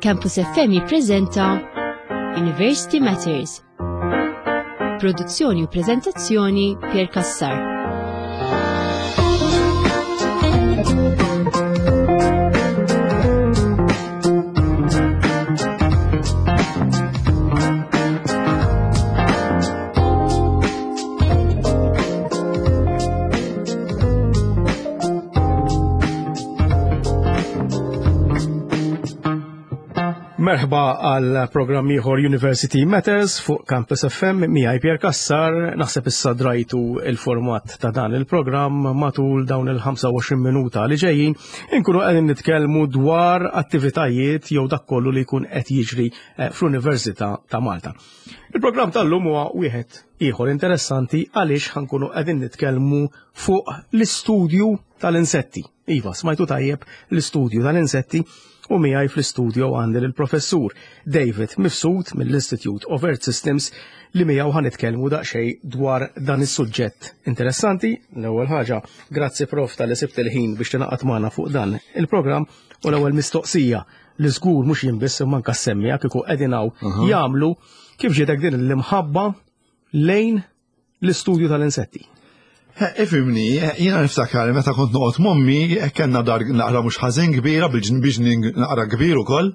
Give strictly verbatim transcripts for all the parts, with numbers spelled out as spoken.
Campus F M jippreżenta University Matters. Produzzjoni u preżentazzjoni, Pier Cassar. Merħba għal programm ieħor, University Matters, fuq Campus F M miegħi Pier Cassar. Naħseb issa drajtu il-format ta' dan il-programm. Matul dawn il-ħamsa u għoxrin minuta li ġejjin inkunu qegħdin nitkellmu dwar attivitajiet jew dak kollu li jkun qed jiġri eh, fl-Università ta' Malta. Il-programm tal-lum huwa wieħed ieħor interessanti għaliex ħa nkunu qegħdin nitkellmu fuq l-istudju tal-insetti. Iva, smajtu tajjeb, l-istudju tal-insetti, u miegħi fl-istudju għandi l-professur David Mifsud mill-Institute of Earth Systems li miegħu ħa nitkellmu daqsxejn dwar dan is-suġġett interessanti. L-ewwel ħaġa, grazzi prof talli sibt il-ħin biex tingħaqad magħna fuq dan il-programm, u l-ewwel mistoqsija li żgur mhux jien biss imma anke s-semmiegħa kieku qegħdin hawn jagħmlu: kif ġietek din l-imħabba lejn l-istudju tal-insetti? Ifhimni, jiena niftakar meta kont noqgħod m'ommi, kellna dar naqra mhux ħażin kbira, bil-ġnien naqra kbir ukoll.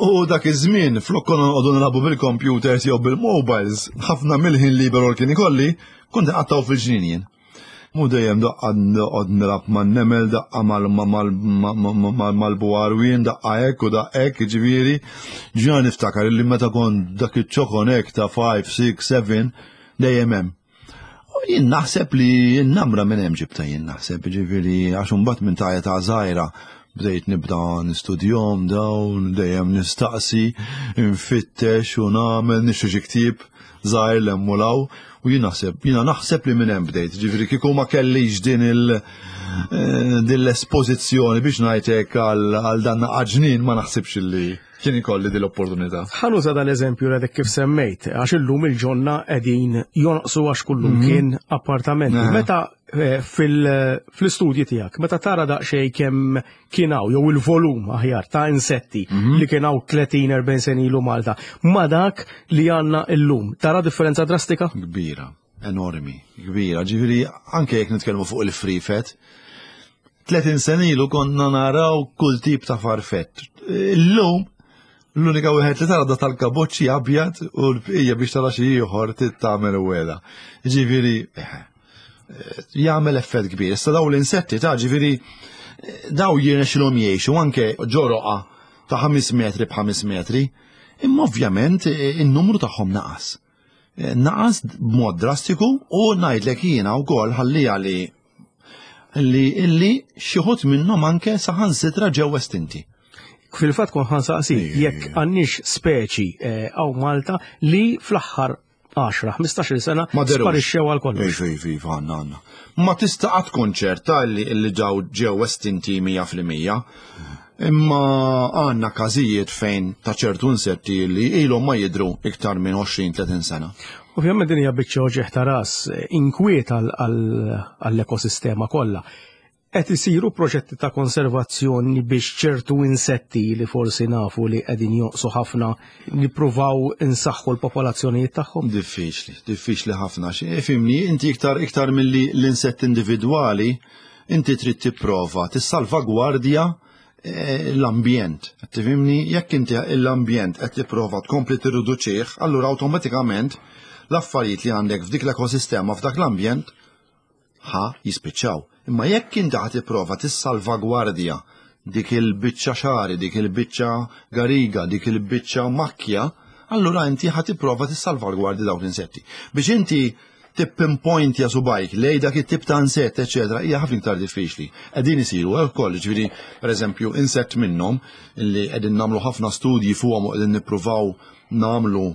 U dak iż-żmien flok konna noqogħdu nilagħbu bil-computers jew bil-mobiles, ħafna mill-ħin liberu li kien ikolli kont nqattgħu fil-ġnien jien. Mu dejjem daqqa noqgħod nilgħab man-nemel, daqqa mal-buharwien, daqqa hekk u daqqa hekk, ġifieri. Ġiena niftakar li meta kont dak iċ-ċokon hekk ta' ħamsa, sitta, sebgħa, dejjem hemm. U jien naħseb li n-namra minn hemm ġibta, jien naħseb, ġifieri, għax imbagħad minn ta' ta' żgħira bdejt nibda nistudjahom dawn, dejjem nistaqsi, nfittex u nagħmel, nixtri xi ktieb żgħir l-emmulaw u jien naħseb, jiena naħseb li minn hemm bdejt, ġifieri kieku ma kellix din il- eh, din l-espożizzjoni, biex ngħidlek, għal dan ġnien, ma naħsibx li kien ikolli din l-opportunità. Ħa nuża dal-eżempju li kif semmejt, għax illum il-ġonna qegħdin jonqsu għax kullum mhm. kien appartamenti. Meta eh, fil-istudji tiegħek, meta tara daqsxejn kemm kien hawn jew il-volum aħjar ta' insetti mhm. li kien hawn tletin erbgħin sena ilu Malta, ma dak li għandna illum, tara differenza drastika? Kbira, enormi, kbira. Ġifieri anke jekk nitkellmu fuq il-frifet, tletin sena ilu konna naraw kull tip ta' farfett. Illum l-unika wieħed li tara da tal-kaboċċi abjad u l-bqija biex tara xi ieħor tagħmel wela. Ġifieri eh, jagħmel effett kbir. Issa daw l-insetti ta' ġifieri daw jirnexxilhom jgħixu anke ġo roqgħa ta' ħames metri b'ħames metri, imma ovvjament eh, in-numru tagħhom naqas. Eh, naqas b'mod drastiku u ngħidlek jiena wkoll ħallija li li illi xi ħadd minnhom anke saħansitra ġew estinti. Fil-fatt kont ħa nsaqsi jekk għandniex speċi hawn Malta li fl-aħħar għaxra ħmistax-il sena sparixxew għal kollox. Ej, ej, għandna, għandna. Ma tista' qatt tkun ċerta li li ġew ġew estinti mija fil-mija. Imma għandna każijiet fejn ta' ċertu insetti li ilhom ma jidru iktar minn għoxrin tletin sena. Ovvjament din hija biċċa uġigħ ta' ras, inkwiet għall-ekosistema kollha. Qed isiru proġetti ta' konservazzjoni biex ċertu insetti li forsi nafu li qegħdin jonqsu ħafna nippruvaw insaħħu l-popolazzjonijiet tagħhom? Diffiċli, diffiċli ħafna. Ifhimni, inti iktar iktar milli l-insett individwali, inti trid tipprova tissalvagwardja eh, l-ambjent. Tifhimni, jekk inti l-ambjent qed tipprova tkompli tirriduċih, allura awtomatikament l-affarijiet li għandek f'dik l-ekosistema, f'dak l-ambjent, ħa jispiċċaw. Imma jekk inti ħa tipprova tissalvagwardja dik il-biċċa xagħri, dik il-biċċa gariga, dik il-biċċa makkja, allura inti ħa tipprova tissalvagwardja dawk l-insetti. Biex inti tippinpointja subgħajk lej dak it-tip ta' insett, eċetera, hija ħafna iktar diffiċli. Qegħdin isiru wkoll, ġifieri, pereżempju, insett minnhom li qegħdin nagħmlu ħafna studji fuqhom u qegħdin nippruvaw nagħmlu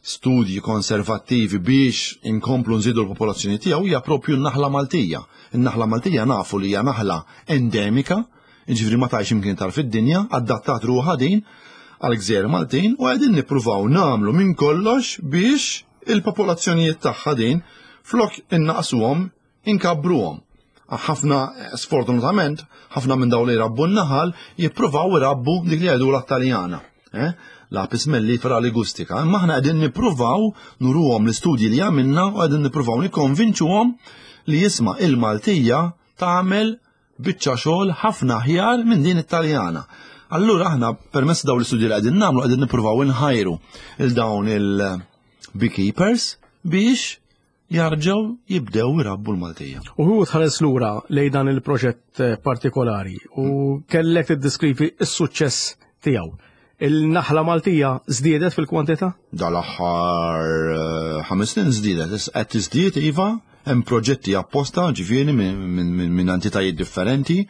studji konservattivi biex inkomplu nżidu l-popolazzjoni tiegħu hija propju n-naħla Maltija. In-naħla Maltija nafu li hija naħla endemika, jiġifieri ma tgħix imkien tar fid-dinja, adattat ruħha din għal gżejjer Maltin u qegħdin nippruvaw nagħmlu minn kollox biex il-popolazzjonijiet tagħha din, flok innaqsuhom, inkabbruhom. Ħafna, sfortunatament, ħafna minn dawn li jrabbu n-naħal jippruvaw irabbu dik li jgħidu l-Taljana. Eh? L-Apis mellifera ligustica. Imma aħna qegħdin nippruvaw nuruhom l-istudji li għamilna u qegħdin nippruvaw nikkonvinċuhom li jisma' il-Maltija tagħmel biċċa xogħol ħafna aħjar minn din it-Taljana. Allura aħna permezz dawn l-istudji li qegħdin nagħmlu qegħdin nippruvaw inħajru il dawn il-beekeepers biex jarġgħu jibdew irabbu l-Maltija. U hu tħares lura lejn dan il-proġett eh, partikolari u kellek tiddeskrivi s-suċċess tiegħu. Il-naħla Maltija żdiedet fil-kwantità? Dal-aħħar eh, ħames snin żdiedet, qed tiżdied iva, hemm proġetti apposta ġifieri minn entitajiet differenti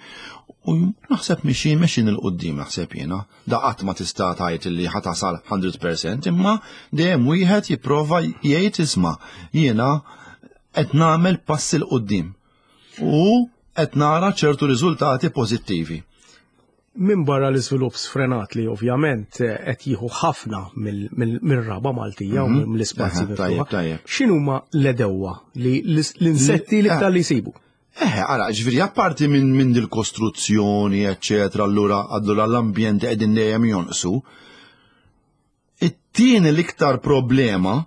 u naħseb mixin mexin 'il quddiem naħseb jiena. Da qatt ma tista' tgħid li ħa tasal mija fil-mija, imma dejjem wieħed jipprova jgħid, isma', jiena qed nagħmel pass 'il quddiem u qed nara ċertu riżultati pożittivi. Min barra l-iżvilupp sfrenat li ovvjament qed jieħu ħafna mill-raba Maltija u mhm. mill-ispazji miftuħa. X'inhuma l-għedewwa li l-insetti li iktar li jsibu? Eh, ara, ġifieri, apparti minn min dil-kostruzzjoni, eccetera, allura allura l-ambjent qegħdin dejjem jonqsu. It-tieni l-iktar problema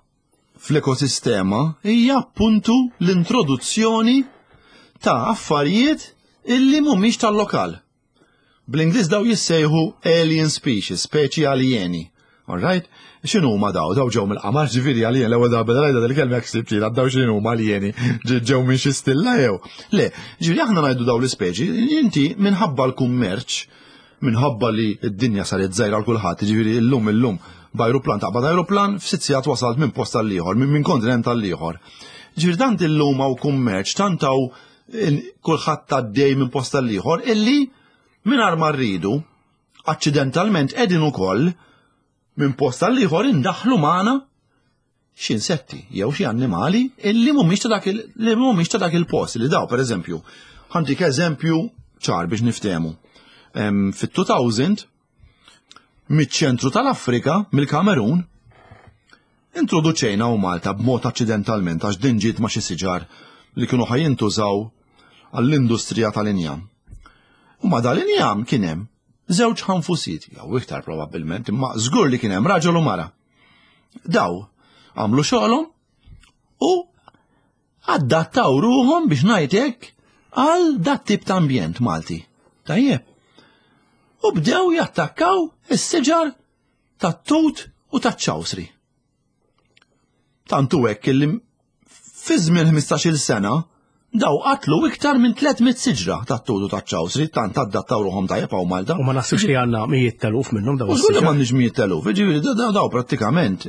fl-ekosistema hija appuntu l-introduzzjoni ta' affarijiet illi mhumiex tal-lokal. Bl-Ingliż daw jissejħu alien species, speċi alieni. All right? X'inhu ma daw? Daw ġew mill-qamar, ġifieri alien, l-ewwel darba rajda dil-kelma jekk sibt daw x'inhu ma alieni, ġew minn xi stilla jew. Le, ġifieri aħna ngħidu daw l-ispeċi, inti minħabba l-kummerċ, minħabba li d-dinja saret żgħira għal kulħadd, ġifieri illum illum b'ajruplan taqbad ajruplan, f'sitt sigħat wasalt minn post għall-ieħor, minn kontinent għall-ieħor. Ġifieri tant illum hawn kummerċ, tant hawn kulħadd għaddej minn post għall-ieħor illi mingħajr ma rridu, aċċidentalment qegħdin ukoll minn post għall-ieħor indaħlu magħna xi insetti jew xi annimali illi mhumiex ta' dak li mhumiex ta' dak il-post li daw. Pereżempju, ħa ntik eżempju ċar biex niftehmu. Fit-elfejn, miċ-ċentru tal-Afrika, mill-Kamerun, introduċejna u Malta b'mod aċċidentalment, għax din ġiet ma' xi siġar li kienu ħa jintużaw għall-industrija tal-injam. U ma dal-injam kien hemm żewġ ħanfusit, jew iktar probabbilment, imma żgur li kien hemm raġel u mara. Daw għamlu xogħolhom u adattaw ruhom, biex ngħidlek, għal dat tip ta' ambjent Malti. Tajjeb. U bdew jattakkaw is-siġar tat-tut u taċ-ċawsri. Tantu hekk illi fi żmien ħmistax-il sena daw qatlu iktar minn tliet mitt siġra tat-tut u taċ-ċawsri, tant adattaw ruhom tajjeb hawn Malta. U ma naħsibx li għandna mijiet teluf minnhom daw. U żgur li m'għandniex mijiet teluf, ġifieri daw daw prattikament.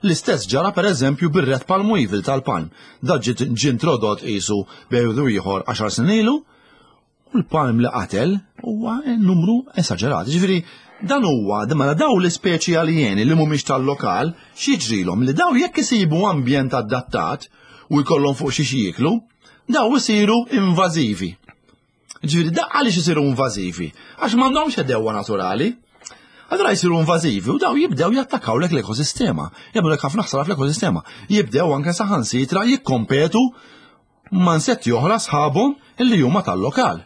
L-istess ġara per eżempju bir-red palm weevil tal-palm. Da ġiet ġie introdott qisu bejn ieħor għaxar snin ilu u l-palm li qatel huwa numru esaġerat. Ġifieri dan huwa mela daw l-ispeċi aljeni li mhumiex tal-lokal, x'jiġrilhom li daw jekk isibu ambjent adattat u jkollhom fuq xi jieklu, daw isiru invażivi. Ġifieri da għaliex isiru invażivi? Għax m'għandhomx għedewwa naturali. Allura jisiru invażivi u daw jibdew jattakkaw lek l-ekosistema. Jagħmlu ħafna ħsara fl-ekosistema. Jibdew anke saħansitra jikkompetu ma' insetti oħra sħabhom illi huma tal-lokal.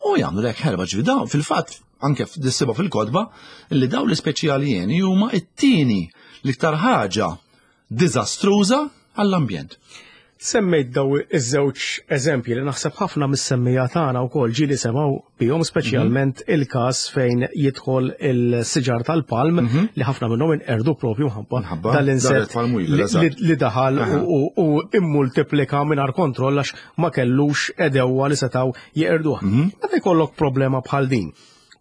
U jagħmlu lek ħerba. Ġifieri daw fil-fatt anke tissiba fil-kotba illi daw l-ispeċi aljeni huma it-tieni l-iktar ħaġa diżastruża għall-ambjent. Semmejt daw iż-żewġ eżempji li naħseb ħafna mis-semmija tagħna wkoll ġieli semgħu bihom, speċjalment mhm. il-każ fejn jidħol il-siġar tal-palm mhm. li ħafna minnhom inqerdu propju mħabba dal-insett li daħal u immultiplika mingħajr kontroll għax ma kellux għedewwa li setgħu jeqirduh. Mhm. Meta jkollok problema bħal din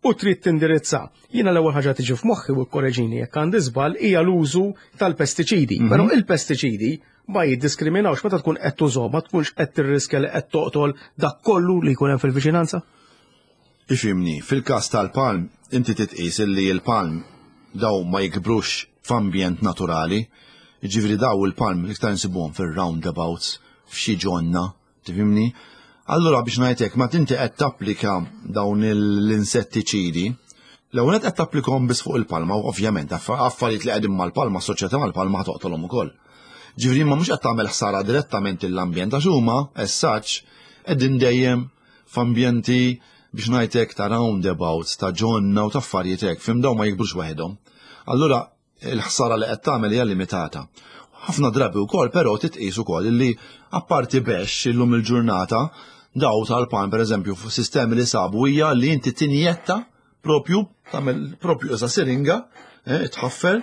u trid tindirizza, jiena l-ewwel ħaġa tiġi f'moħħi, u korreġini jekk għandi żball, hija l-użu tal-pestiċidi. Però il-pestiċidi ma jiddiskriminawx. Meta tkun qed tużhom, ma tkunx qed tirriskja li qed toqtol dak kollu li jkun hemm fil-viċinanza? Ifhimni, fil-każ tal-palm, inti titqis li l-palm daw ma jikbrux f'ambjent naturali, ġifieri daw il-palm l-iktar nsibuhom fil-roundabouts, f'xi ġonna, tifhimni? Allura biex ngħidlek, ma tinti qed tapplika dawn l-insettiċidi, l-ewwel qed tapplikhom biss fuq il-palma u ovvjament affarijiet li qegħdin mal-palma, assoċjati mal-palma, toqtolhom ukoll. Ġifieri ma mhux qed tagħmel ħsara direttament l-ambjent għax huma as such Qegħdin dejjem f'ambjenti biex ngħidlek ta' roundabouts, ta' ġonna u ta' affarijiet hekk, fhimt, daw ma jikbrux waħedhom. Allura il-ħsara li qed tagħmel hija limitata. Ħafna drabi wkoll però titqis ukoll li apparti bexx illum il-ġurnata daw tal-palm, pereżempju, sistemi li sabu hija li inti tinjetta propju, tagħmel propju issa siringa, eh, tħaffer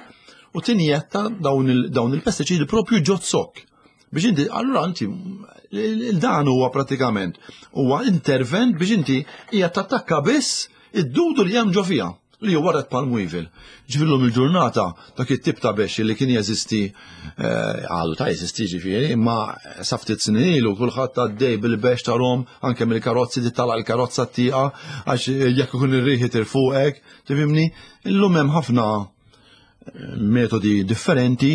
u tinjetta dawn il-pestiċidi propju ġo zokk. Biex inti, allura inti, dan huwa pratikament, huwa intervent biex inti hija tattakka biss id-dudu li hemm ġo fiha, li huwa red palm weevil. Ġifieri il-ġurnata dak it-tip ta' bexx li kien jeżisti, eh, għadu ta' jeżisti ġifieri, imma sa ftit snin ilu kulħadd għaddej bil-bexx tarahom anke mill-karozzi, titala l-karozza t-tieqa għax jekk ikun ir-riħi fuqek, tifhimni? Illum hemm ħafna eh, metodi differenti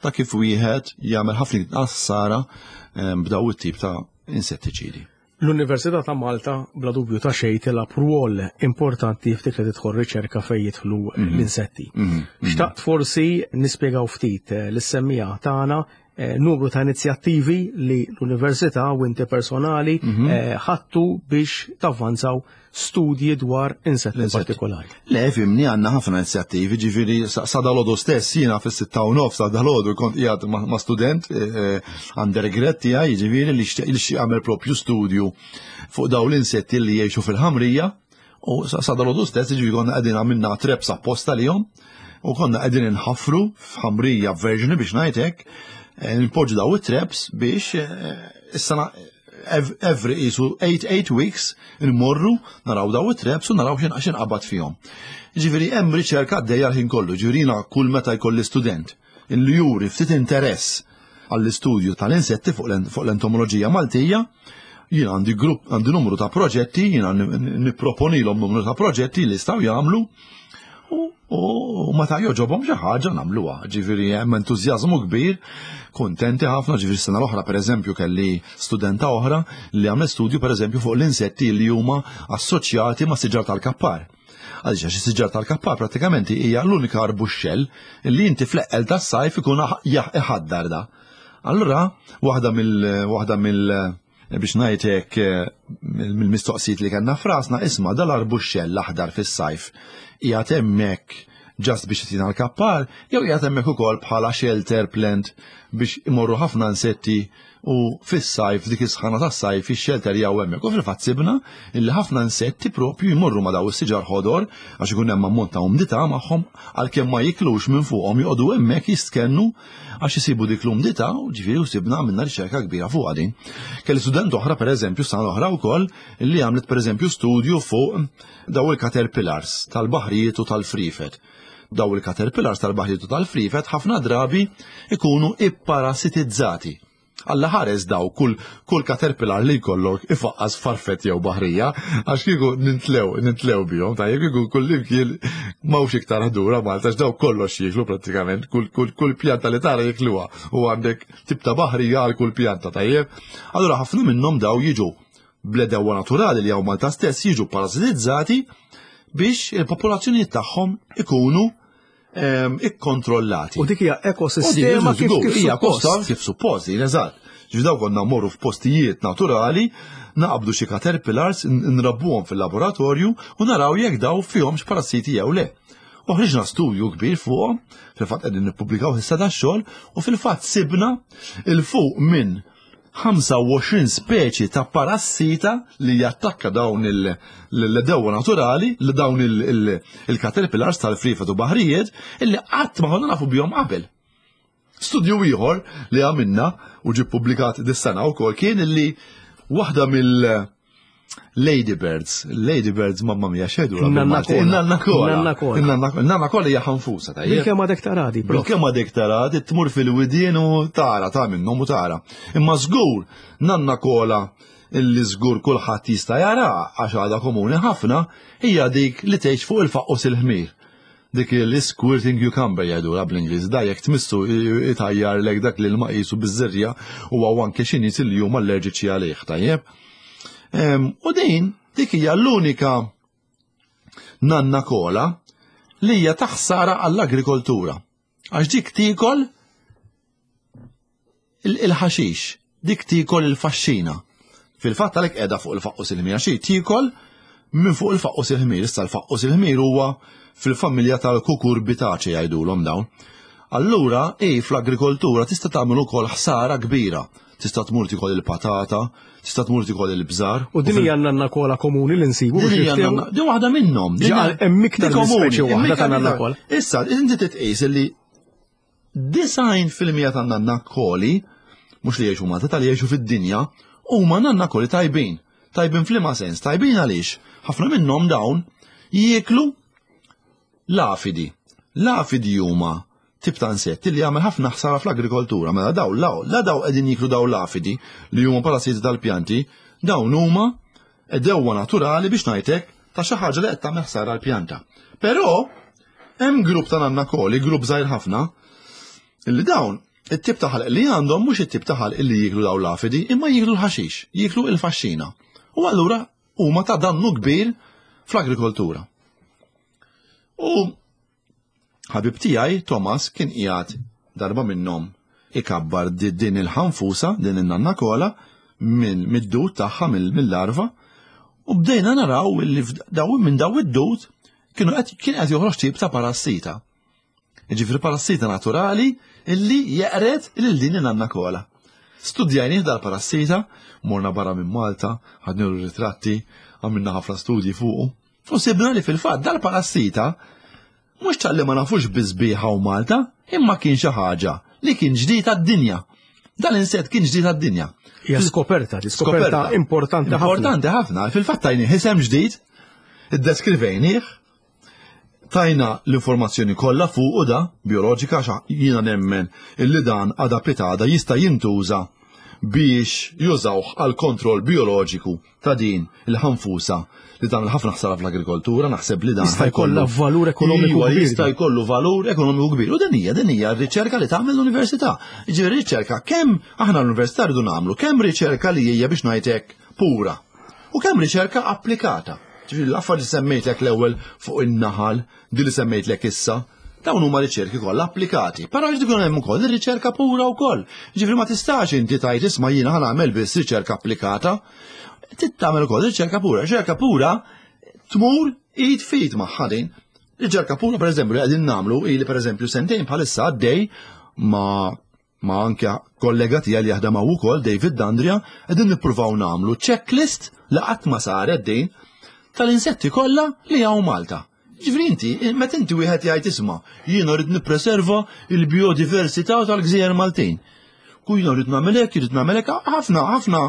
ta' kif wieħed jagħmel ħafna inqas ħsara eh, b'daw it-tip ta' insettiċidi. L-Università ta' Malta bla dubju ta' xejn tilgħab rwol importanti ftit li tidħol riċerka fejn jidħlu mhm. l-insetti. Mhm. Mhm. Xtaqt forsi nispjegaw ftit eh, lis-semmiegħa tagħna eh, numru ta' inizjattivi li l-Università u inti personali eh, ħattu biex tavvanzaw studji dwar insetti partikolari. Le, fhimni, għandna ħafna inizjattivi, ġifieri sa dalgħodu stess, jiena fis-sitta u nofs sa dalgħodu kont qiegħed ma' student eh, undergrad tiegħi, ġifieri li xtaq għamel propju studju fuq daw l-insetti li jgħixu fil-ħamrija, u sa dalgħodu stess ġifieri konna qegħdin għamilna traps apposta lihom u konna qegħdin inħafru f'ħamrija verġni biex ngħidlek, eh, npoġġu daw it-traps biex eh, is-sena every isu eight weeks nmorru naraw daw it-traps u naraw x'in qabad fihom. Ġifieri hemm riċerka għaddejja l-ħin kollu, ġifieri kull meta jkolli student illi juri ftit interess għall-istudju tal-insetti fuq l-entomoloġija Maltija, jien għandi grupp, għandi numru ta' proġetti, jiena nipproponilhom numru ta' proġetti li jistgħu jagħmlu u meta jogħġobhom xi ħaġa nagħmluha. Ġifieri hemm entużjażmu kbir, kuntenti ħafna, ġifieri sena l-oħra pereżempju kelli studenta oħra li għamlet studju pereżempju fuq l-insetti li huma assoċjati ma' siġar tal-kappar. Għaliex għax siġar tal-kappar pratikament hija l-unika arbuxxell li inti fl-eqqel tas-sajf ikun iħaddar da. Allura, waħda mill waħda mill biex ngħidlek mill-mistoqsijiet li kellna f'rasna, isma', dal-arbuxxell l-aħdar fis-sajf qiegħed hemmhekk just biex tina l-kappar, jew qiegħed hemmhekk ukoll bħala shelter plant biex imorru ħafna insetti u fis-sajf, dik is-sħana tas-sajf, ix-shelter jew hemmhekk. U fil-fatt sibna illi ħafna insetti propju jmorru ma' daw is-siġar ħodor għax ikun hemm ammont ta' umdità magħhom, għalkemm ma jiklux minn fuqhom, joqogħdu hemmhekk jistkennu għax isibu dik l-umdità, u ġifieri u sibna, għamilna riċerka kbira fuq din. Kelli student oħra pereżempju sena oħra wkoll illi għamlet pereżempju studju fuq daw il-caterpillars tal-baħrijiet u tal-frifet. Daw il-caterpillars tal-baħrijiet u tal-frifet ħafna drabi ikunu ipparasitizzati. Alla ħares daw kull, kull caterpillar li jkollok ifaqqas farfet jew baħrija, għax kieku nintlew, nintlew bihom, ta' kieku kull imkien m'hawnx iktar ħdura Malta, daw kollox jiklu pratikament, kull, kull, kull pjanta li tara jikluha, u għandek tip ta' baħrija għal kull pjanta, tajjeb. Allura ħafna minnhom daw jiġu bl-għedewwa naturali li hawn Malta stess jiġu parasitizzati biex il-popolazzjoni tagħhom ikunu ikkontrollati. U dik hija ekosistema kif kif hija suppost. Kif suppost, eżatt. Ġifieri daw konna mmorru f'postijiet naturali, naqbdu xi caterpillars, nrabbuhom fil-laboratorju u naraw jekk daw fihomx parassiti jew le. U ħriġna studju kbir fuqhom, fil-fatt qegħdin nippubblikaw issa dax-xogħol, u fil-fatt sibna 'il fuq minn ħamsa u għoxrin speċi ta' parassita li jattakka dawn l-għedewwa naturali, li dawn il-caterpillars tal-frifet u baħrijiet, illi qatt ma konna nafu bihom qabel. Studju ieħor li għamilna u ġi publikat dis-sena wkoll kien illi waħda mill Ladybirds, Ladybirds, mamma mia, xedu. Nanna kola. Nanna kola. Nanna kola. Nanna kola hija ħanfusa, tajjeb. Bil-kemm għadek taradi, bro. Bil-kemm għadek taradi, tmur fil-widien u tara, ta' minnhom u tara. Imma żgur, nanna kola illi żgur kulħadd jista' jara għax għadha komuni ħafna hija dik li tgħix fuq il-faqqus il-ħmir. Dik il-squirting cucumber jgħidu bl-Ingliż, da jekk tmissu itajjar lek dak li l-ma qisu biż-żerja u hawn anke xi nies li huma allerġiċi għalih, tajjeb. U din dik hija l-unika nanna kola li hija taħsara għall-agrikoltura. Għax dik tikol il-ħaxix, dik tikol il-faxxina. Fil-fatt għalhekk qiegħda fuq il-faqqus il-ħmir, għax hi tiekol minn fuq il-faqqus il-ħmir. Issa l-faqqus il-ħmir huwa fil-familja tal-kukurbitaċi jgħidulhom dawn. Allura, i fl-agrikoltura tista' tagħmel ukoll ħsara kbira. Tista' tmur tikol il-patata, tista' tmur tikol il-bżar. U din hija nannakola komuni li nsibu. Din hija nanna- din waħda minnhom. Din Ġa, hemm iktar din minn komuni, speċi hemm waħda iktar ta' nannakola. Issa, inti titqis li disgħin fil-mija ta' nannakoli, mhux li jgħixu Malta, tal jgħixu fid-dinja, huma nannakoli tajbin. Tajbin f'liema sens, tajbin għaliex ħafna minnhom dawn jieklu l-afidi. L-afidi huma tip ta' insetti li jagħmel ħafna ħsara fl-agrikoltura. Mela daw la, la daw qegħdin jiklu daw l-afidi li huma parassiti tal-pjanti, dawn huma għedewwa naturali biex ngħidlek ta' xi ħaġa li qed tagħmel ħsara l-pjanta. Però hemm grupp ta' nannakoli, grupp żgħir ħafna, illi dawn it-tip ta' ħalq li għandhom mhux it-tip ta' ħalq li jiklu daw l-afidi, imma jiklu l-ħaxix, jiklu il-faxxina. U allura huma ta' dannu kbir fl-agrikoltura. U ħabib tiegħi Thomas kien qiegħed darba minnhom ikabbar di- din il-ħanfusa, din in-nannakola minn mid-dud tagħha mill-larva u bdejna naraw li daw minn daw id-dud kienu qed kien qed joħroġ tip ta' parassita. Jiġifieri parassita naturali illi jeqred lil din in-nannakola. Studjajnih dal-parassita, morna barra minn Malta, ħadnilu ritratti, għamilna ħafna studji fuqu. U sibna li fil-fatt dal-parassita mhux talli ma nafux biżbieħa u Malta, imma kien xi ħaġa li kien ġdid għad-dinja. Dal-insett kien ġdid għad-dinja. Hija skoperta, di skoperta importanti ħafna. Importanti ħafna. Fil-fatt tajnih isem ġdid, iddeskrivejnih, tajna l-informazzjoni kollha fuq u da bioloġika xa jiena nemmen illi dan għada pitada jista' jintuża biex jużawh għal kontroll bioloġiku ta' din il-ħanfusa li tagħmel ħafna ħsara fl-agrikoltura, naħseb li dan Jista' jkollha valur ekonomiku Iva, kbir. Jista' jkollu valur ekonomiku kbir. U din hija din hija r-riċerka li tagħmel l-università. Jiġifieri riċerka kemm aħna l-università rridu nagħmlu kemm riċerka li hija biex ngħidlek pura u kemm riċerka applikata. Ġifieri l-affarijiet li semmejtlek l-ewwel fuq in-naħal, di li semmejtlek issa, dawn huma riċerki kollha applikati. Però jrid ikun hemm ukoll ir-riċerka pura wkoll. Ġifieri ma tistax inti tgħid isma' jiena ħa nagħmel biss riċerka applikata. Trid tagħmel ukoll riċerka pura. Riċerka pura tmur id f'id magħha din. Riċerka pura pereżempju li qegħdin nagħmlu ili pereżempju sentejn bħalissa għaddej ma' ma' anke kollega tiegħi li jaħdem hawn ukoll David Dandria qegħdin nippruvaw nagħmlu checklist li qatt ma saret din tal-insetti kollha li hawn Malta. Ġifieri inti, meta inti wieħed jgħid isma' jiena rrid nippreserva il-biodiversità tal-gżejjer Maltin. Ku jiena rrid nagħmel hekk, rrid nagħmel hekk, ħafna ħafna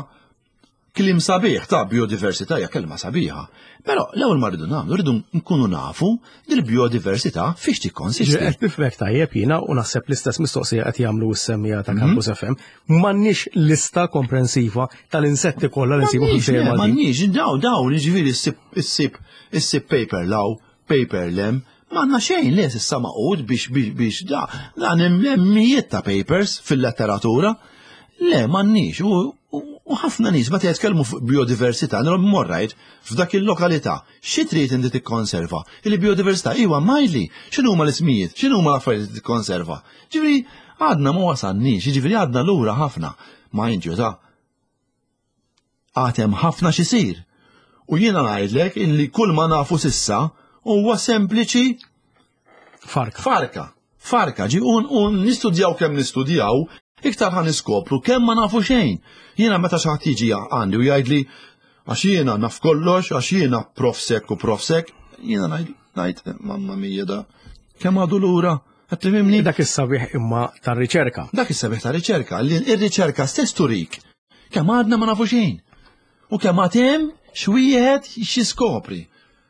kliem sabiħ ta' biodiversità hija kelma sabiħa. Però l-ewwel ma rridu nagħmlu, rridu nkunu nafu dil-biodiversità fiex tikkonsisti. Qed nifhmek tajjeb jiena u naħseb l-istess mistoqsija qed jagħmlu s-semmiegħa ta' Campus F M. M'għandniex lista komprensiva tal-insetti kollha li nsibu fil-gżejjer Maltin. M'għandniex, daw daw jiġifieri issib issib issib paper 'l hawn, paper 'l hemm, m'għandna xejn li s'issa maqud biex biex biex da dan hemm mijiet ta' papers fil-letteratura. Le, m'għandniex, u u ħafna nies meta jitkellmu fuq biodiversità, nilhom morrajt f'dak il-lokalità. Xi trid inti tikkonserva? Il-biodiversità iwa majli, x'inhu huma l-ismijiet, x'inhu huma l-affarijiet li tikkonserva? Ġifieri għadna ma wasalniex, jiġifieri għadna lura ħafna. Ma inġu ta' għad hemm ħafna x'isir. U jiena ngħidlek illi kull ma nafu s'issa huwa sempliċi Farka. Farka. Farka, ġi un, un nistudjaw kemm nistudjaw, iktar ħa niskopru kemm ma nafu xejn. Jiena meta xi ħadd jiġi għandi u jgħidli għax jiena naf kollox, għax jiena profsek u profsek, jiena ngħid ngħid mamma mia da kemm għadu lura. Qed tifhimni? Dak is-sabiħ imma tar-riċerka. Dak is-sabiħ ta' riċerka, li ir-riċerka stess turik kemm għadna ma nafu xejn. U kemm għad hemm x'wieħed xi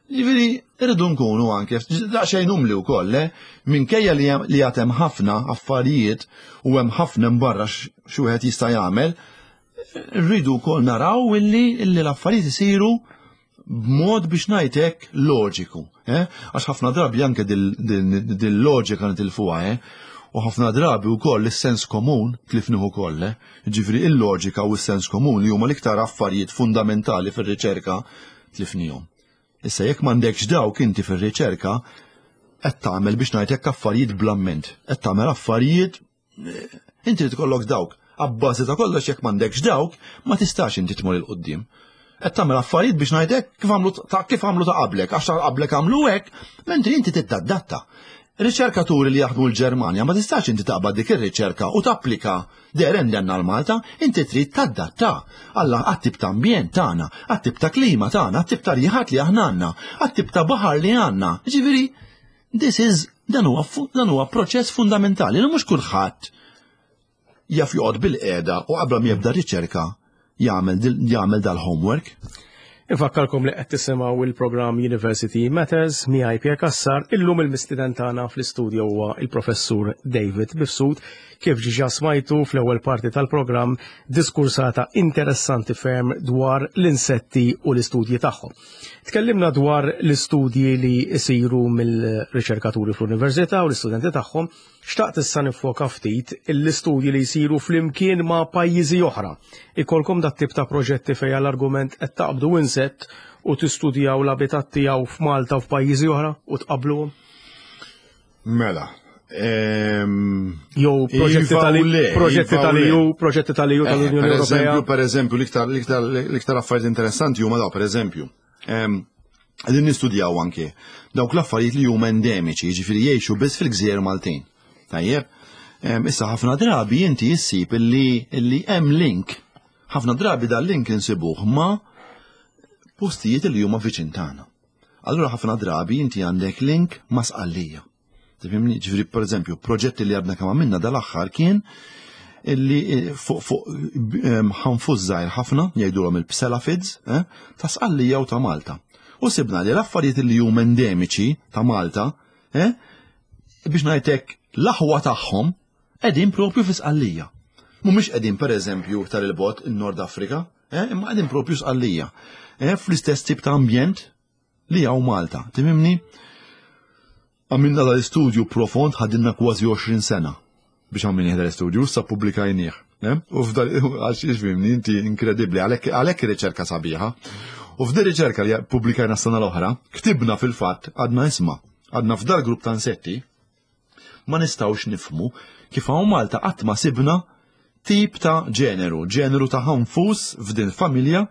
Ġifieri irridu nkunu anke daqsxejn umli wkoll, eh? Minkejja li hemm- li għad hemm ħafna affarijiet u hemm ħafna barra xi wieħed jista' jagħmel, rridu wkoll naraw illi illi l-affarijiet isiru b'mod biex ngħidlek loġiku, eh? Għax ħafna drabi anke dil-loġika nitilfuha, eh? U ħafna drabi wkoll is-sens komun tlifnieh ukoll, eh? Ġifieri il-loġika u s-sens komun li huma l-iktar affarijiet fundamentali fir-riċerka tlifnihom. Issa jekk m'għandekx dawk inti fir-riċerka, qed tagħmel biex ngħidlek affarijiet bl-amment, qed tagħmel affarijiet eh, inti tkollok dawk. Abbażi ta' kollox jekk m'għandekx dawk, ma tistax inti tmur 'il quddiem. Qed tagħmel affarijiet biex ngħidlek kif għamlu ta' kif għamlu ta' qablek, għax ta' qablek għamlu hekk, mentri inti titadatta. Riċerkaturi li jaħdmu l-Ġermanja ma tistax inti taqbad dik ir-riċerka u tapplika there and then għal Malta, inti trid tadatta għalla għat-tip ta' ambjent tagħna, għat-tip ta' klima tagħna, għat-tip ta' rjiħat li aħna għandna, għat-tip ta' baħar li għandna. Ġifieri, this is dan huwa fu- dan huwa proċess fundamentali li mhux kulħadd jaf joqgħod bil-qiegħda u qabel ma jibda riċerka jagħmel dil- jagħmel dal-homework. Infakkarkom li qed tisimgħu il-programm University Matters miegħi Pierre Cassar. Illum il-mistieden tagħna fl-istudju huwa il-professur David Mifsud. Kif ġiġa smajtu fl-ewwel parti tal-programm diskursata interessanti ferm dwar l-insetti u l-istudji tagħhom. Tkellimna dwar l-istudji li jsiru mill-riċerkaturi fl-università u l-istudenti tagħhom. Xtaqt issa nifoka ftit l-istudji li jsiru flimkien ma' pajjiżi oħra. Ikolkom dat tip ta' proġetti fejn l-argument qed taqbdu insett u tistudjaw l-abitat tiegħu f'Malta u f'pajjiżi oħra u tqabluhom? Mela. ehm, Jew proġetti Iva tal u le, proġetti iva u tal-EU, le. proġetti tal-EU Eh, tal-Unjoni Per Ewropea. eżempju, per eżempju, l-iktar l-iktar l-iktar affarijiet interessanti huma daw, per eżempju. Ehm, Qegħdin nistudjaw anke dawk l-affarijiet li huma endemiċi, jiġifieri jgħixu biss fil-gżejjer Maltin. Tajjeb, Ehm, issa ħafna drabi inti issib illi illi hemm link. Ħafna drabi dal-link insibuh ma' postijiet li huma viċin tagħna. Allura ħafna drabi inti għandek link ma' Sqallija. Tifhimni? Ġifieri per eżempju, proġetti li għadna kemm għamilna dal-aħħar kien illi eh, fuq fuq ehm, ħanfus żgħir ħafna jgħidulhom il-pselaphids eh, ta' Sqallija u ta' Malta. U sibna li l-affarijiet li huma endemiċi ta' Malta, eh, biex ngħidlek l-aħwa tagħhom qegħdin propju fi Sqallija. Mhumiex qegħdin pereżempju iktar il-bogħod in-Nord Afrika, eh, imma qegħdin propju Sqallija. Eh, fl-istess tip ta' ambjent li hawn Malta. Tifhimni? Għamilna dal-istudju profond ħadinna kważi għoxrin sena biex għamilni dal-istudju, issa publikajnieh. Eh? U f'dal, għax ifhimni, inti inkredibli, għalhekk għalhekk riċerka sabiħa. U f'din riċerka li publikajna s-sena l-oħra, ktibna fil-fatt, għadna isma, għadna f'dal grupp ta' insetti, ma nistgħux nifhmu kif hawn Malta qatt ma sibna tip ta' ġeneru, ġeneru ta' ħanfus f'din familja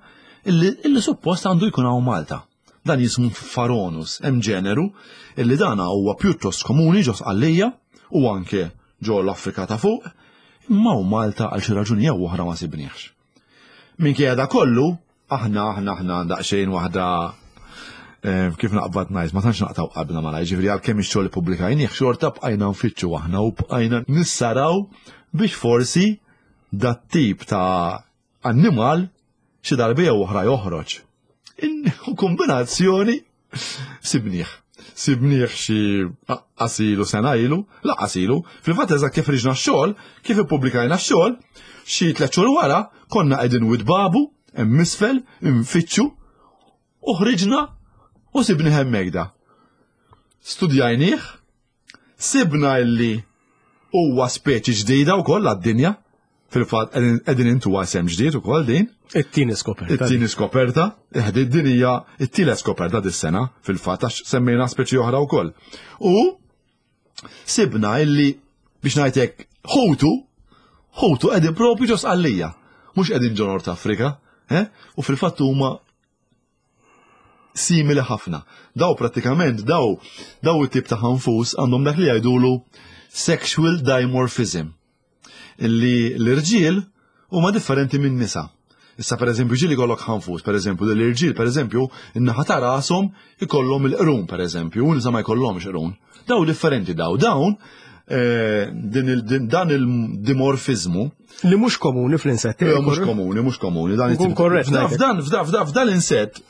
illi, illi suppost għandu jkun hawn Malta. Dan jismu Phoronis, hemm ġeneru illi dan huwa pjuttost komuni ġo Sqallija u anke ġo l-Afrika ta' fuq, imma hawn Malta għal xi raġuni jew oħra ma sibniex. Minkejja da kollu, aħna aħna aħna daqsxejn waħda eh, kif naqbad ngħid, ma tantx naqtaw qalbna malaj, ġifieri għalkemm ix-xogħol ippubblikajnieh xorta bqajna nfittxu aħna u bqajna nissaraw biex forsi dat tip ta' annimal xi darba jew oħra joħroġ. In- U kombinazzjoni sibnieh. Sibnieh xi qasilu sena ilu, la qasilu, fil-fatt eżatt kif ħriġna x-xogħol, kif ippubblikajna x-xogħol, xi tliet xhur wara konna qegħdin Wied Babu, hemm isfel, infittxu, u ħriġna u sibnieh hemmhekk da. Studjajnieh, sibna illi huwa speċi ġdida wkoll għad-dinja, fil-fatt qegħdin intu isem ġdid ukoll din. It-tieni skoperta. It-tieni skoperta, eh, din hija it-tielet skoperta dis-sena fil-fatt għax semmejna speċi oħra wkoll. U sibna illi biex ngħidlek ħutu, ħutu qegħdin propju ġo Sqallija, mhux qegħdin ġo Nord Afrika, eh? U fil-fatt huma simili ħafna. Daw prattikament daw daw it-tip ta' ħanfus għandhom dak li jgħidulu sexual dimorphism. Illi l-irġiel huma differenti minn nisa. Issa per eżempju ġieli jkollok ħanfus, per eżempju l-irġiel per eżempju in-naħa ta' rashom ikollhom il-qrun per eżempju, u nisa ma jkollhomx qrun. Daw differenti daw dawn eh, din il- din- dan il-dimorfizmu Li mhux komuni fl-insetti. Eh, mhux komuni, mhux komuni. Dan Nkun it-tip- korrett F'dan ngħidlek. f'dan f'dan f'dan f'dan l-insett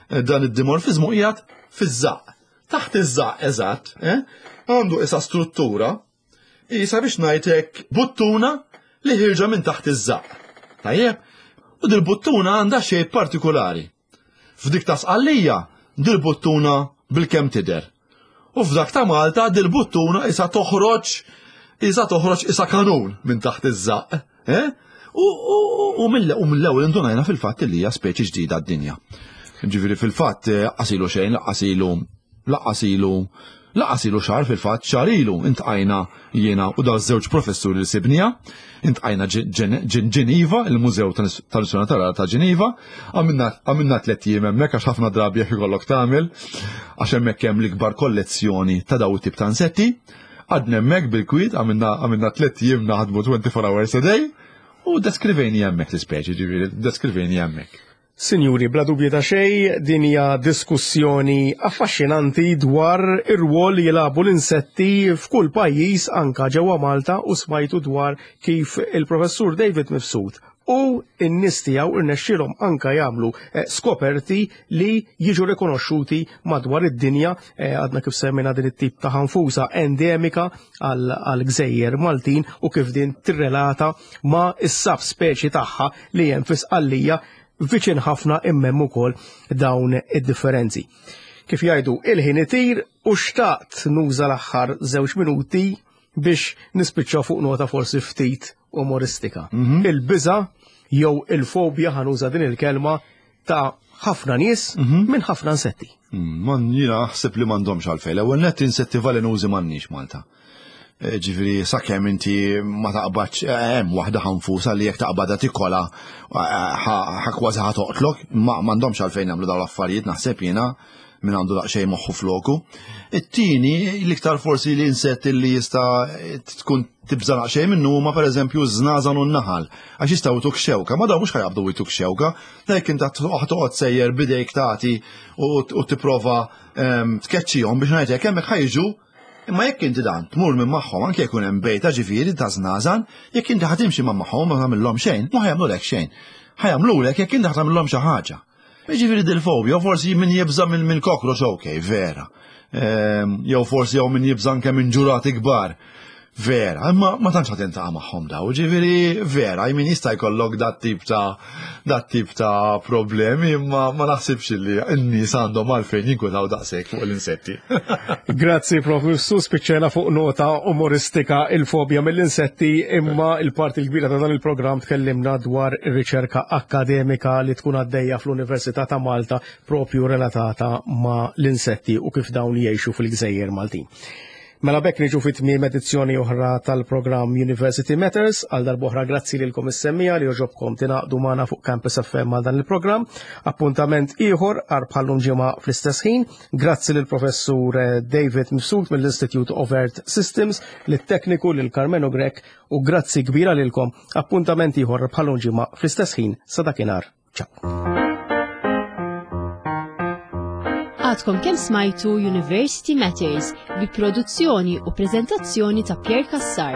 eh, dan id-dimorfizmu qiegħed fiż-żaq. Taħt iż-żaq eżatt, eh, għandu isa struttura isa biex ngħidlek buttuna li ħirġa minn taħt iż-żaq. Tajjeb? U dil-buttuna għandha shape partikolari. F'dik ta' Sqallija, dil-buttuna bil-kemm tidher. U f'dak ta' Malta dil-buttuna isa toħroġ isa toħroġ isa kanun minn taħt iż-żaq. Eh? U, u, u mill- u mill-ewwel indunajna fil-fatt li hija speċi ġdida d-dinja. Ġifieri fil-fatt eh, qasilu xejn, laqqas ilu laqqas ilu Lanqas ilu xahar fil-fatt, xahar ilu iltqajna jiena u daw żewġ professuri li sibnieha, iltqajna Ġeniva, il-Mużew tal-Istorja Naturali ta' Ġeniva, għamilna tliet ijiem hemmhekk għax ħafna drabi jekk ikollok tagħmel, għax hemmhekk hemm l-ikbar kollezzjoni ta' daw it-tip ta' insetti. Qgħadna hemmhekk bil-kwiet, għamilna tliet ijiem naħdmu twenty-four hours a day, u deskrivejni hemmhekk l-ispeċi, ġifieri, deskrivejni hemmhekk. Sinjuri, bla dubju ta' xej, din hija diskussjoni affaxxinanti dwar ir-rwol li jilagħbu l-insetti f'kull pajjiż, anka ġewwa Malta, u smajtu dwar kif il-professur David Mifsud u n-nies tiegħu irnexxielhom anka jagħmlu eh, skoperti li jiġu rikonoxxuti madwar id-dinja. eh, għadna kif semmejna din it-tip ta' ħanfusa endemika għal gżejjer Maltin u kif din tirrelata ma' is-sub speċi tagħha li hemm fi Sqallija viċin ħafna, imma hemm ukoll dawn id-differenzi. Kif jgħidu, il-ħin itir u xtaqt nuża l-aħħar żewġ minuti biex nispiċċa fuq nota forsi ftit umoristika. Mhm. Il-biża jew il-fobja, ħa nuża din il-kelma, ta' ħafna nies mhm. minn ħafna insetti. Mm, man jiena naħseb li m'għandhomx għalfejn. L-ewwel net, insetti velenużi m'għandniex Malta. Eh, ġifieri, sakemm inti ma taqbadx, eh, hemm waħda ħanfusa li jekk taqbadha tikolha eh, ħa kważi ħa toqtlok, ma m'għandhomx għalfejn jagħmlu dawn l-affarijiet, naħseb jiena, minn għandu daqsxejn moħħu floku. It-tieni, l-iktar forsi li insett li jista' tkun tibża' daqsxejn minnu huma pereżempju żnażan u n-naħal, għax jistgħu jtuk xewka, ma daw mhux ħa jaqbdu jtuk xewka, dak inta toqgħod sejjer bidejk tagħti u tipprova ehm, tkeċċihom biex ngħidlek hemmhekk ħa jiġu. Imma jekk inti dan tmur minn magħhom, anke jkun hemm bejta ġifieri ta' żnażan, jekk inti ħa timxi ma' magħhom ma tagħmilhom xejn, ma ħa jagħmlulek xejn. Ħa jagħmlulek jekk inti ħa tagħmilhom xi ħaġa. Ġifieri dil-fobja, forsi min jibża minn min cockroach, ok, vera. Ehm, jew forsi jew min jibża anke minn ġurati kbar. Vera, imma ma tantx ħa tiltaqa' magħhom daw, ġifieri vera, min jista' jkollok dat tip ta' dat tip ta' problemi, imma ma naħsibx li n-nies għandhom għalfejn jinkwetaw daqshekk fuq l-insetti. Grazzi, Prof. Su spiċċajna fuq nota umoristika, il-fobja mill-insetti, imma il-parti l-kbira ta' dan il-programm tkellimna dwar ir-riċerka akademika li tkun għaddejja fl-Università ta' Malta propju relatata ma' l-insetti u kif dawn jgħixu fil-gżejjer Maltin. Mela b'hekk niġu fi tmiem edizzjoni oħra tal-programm University Matters. Għal darb'oħra grazzi lilkom is-semmiegħa li għoġobkom tingħaqdu magħna fuq Campus F M għal dan il-programm. Appuntament ieħor għal bħallum ġimgħa fl-istess ħin. Grazzi lil professur David Mifsud mill-Institute of Earth Systems, lit-tekniku lil Carmeno Grech u grazzi kbira lilkom. Appuntament ieħor bħallum ġimgħa fl-istess ħin, sa dakinhar. Ciao. Għadkom kemm smajtu University Matters bi produzzjoni u prezentazzjoni ta' Pierre Cassar.